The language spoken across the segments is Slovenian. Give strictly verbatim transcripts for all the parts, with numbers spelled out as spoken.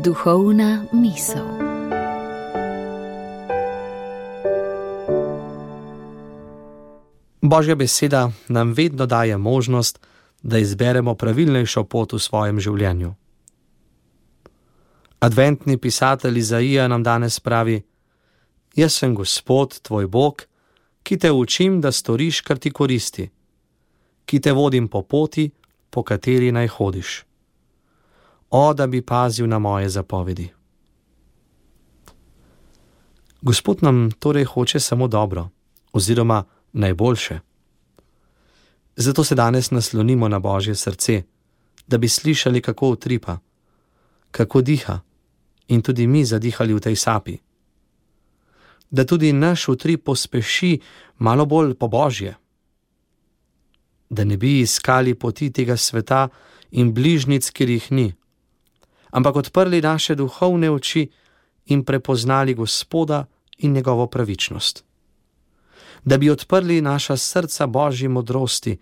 Duhovna misel. Božja beseda nam vedno daje možnost, da izberemo pravilnejšo pot v svojem življenju. Adventni pisatelj Izaija nam danes pravi: Jaz sem Gospod, tvoj Bog, ki te učim, da storiš, kar ti koristi, ki te vodim po poti, po kateri naj hodiš. O, da bi pazil na moje zapovedi. Gospod nam torej hoče samo dobro, oziroma najboljše. Zato se danes naslonimo na Božje srce, da bi slišali, kako utripa, kako diha in tudi mi zadihali v tej sapi. Da tudi naš utrip pospeši malo bolj po Božje. Da ne bi iskali poti tega sveta in bližnjic, kjer jih ni, ampak odprli naše duhovne oči in prepoznali Gospoda in njegovo pravičnost. Da bi odprli naša srca Božji modrosti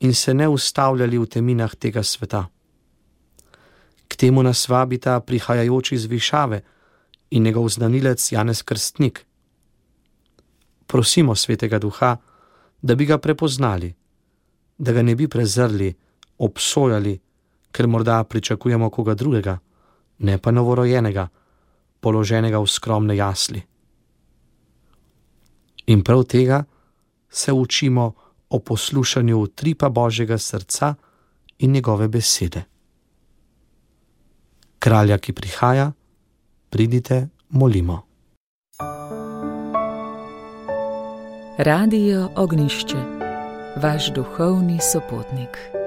in se ne ustavljali v teminah tega sveta. K temu nas vabita prihajajoči z višave in njegov znanilec Janez Krstnik. Prosimo Svetega Duha, da bi ga prepoznali, da ga ne bi prezrli, obsojali, ker morda pričakujemo koga drugega, ne pa novorojenega, položenega v skromne jasli. In prav tega se učimo o poslušanju utripa Božjega srca in njegove besede. Kralja, ki prihaja, pridite, molimo. Radio Ognjišče, vaš duhovni sopotnik.